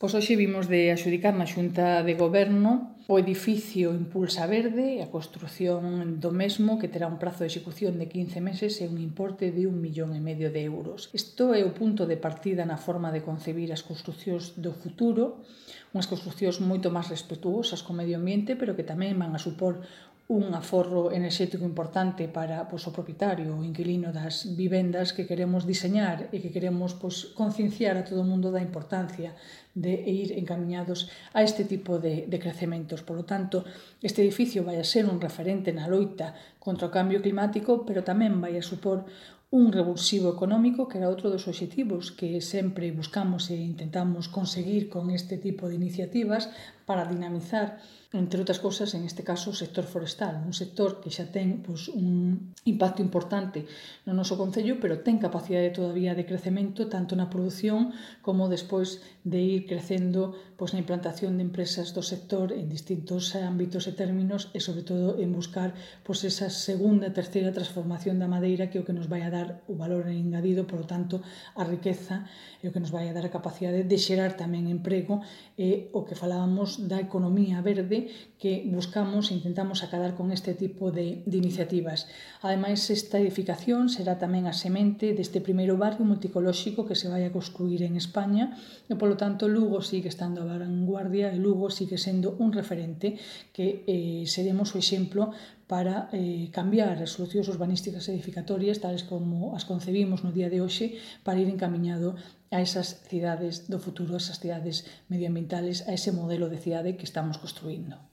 Pois hoxe vimos de adxudicar na Xunta de Goberno o edificio Impulsa Verde, a construción do mesmo, que terá un prazo de execución de 15 meses e un importe de 1,5 millón de euros. Isto é o punto de partida na forma de concebir as construcións do futuro, unhas construcións moito máis respetuosas co medio ambiente, pero que tamén van a supor un aforro enerxético importante para o propietario ou inquilino das vivendas que queremos diseñar e que queremos concienciar a todo o mundo da importancia de ir encamiñados a este tipo de crecementos. Por lo tanto, este edificio vai a ser un referente na loita contra o cambio climático, pero tamén vai a supor un revulsivo económico, que era outro dos obxectivos que sempre buscamos e intentamos conseguir con este tipo de iniciativas para dinamizar, entre outras cousas, en este caso, o sector forestal, un sector que xa ten un impacto importante no noso concello, pero ten capacidade todavía de crecemento tanto na produción como despois de ir crecendo na implantación de empresas do sector en distintos ámbitos e términos e, sobre todo, en buscar esa segunda e terceira transformación da madeira, que é o que nos vai a dar o valor engadido, por lo tanto, a riqueza e o que nos vai a dar a capacidade de xerar tamén emprego e o que falábamos da economía verde que buscamos e intentamos acadar con este tipo de iniciativas. Ademais, esta edificación será tamén a semente deste primeiro barrio multicolóxico que se vai a construir en España e, polo tanto, Lugo sigue estando a vanguardia e Lugo sigue sendo un referente que seremos o exemplo para cambiar as solucións urbanísticas edificatorias tales como as concebimos no día de hoxe para ir encamiñado a esas cidades do futuro, a esas cidades medioambientales, a ese modelo de cidade que estamos construindo.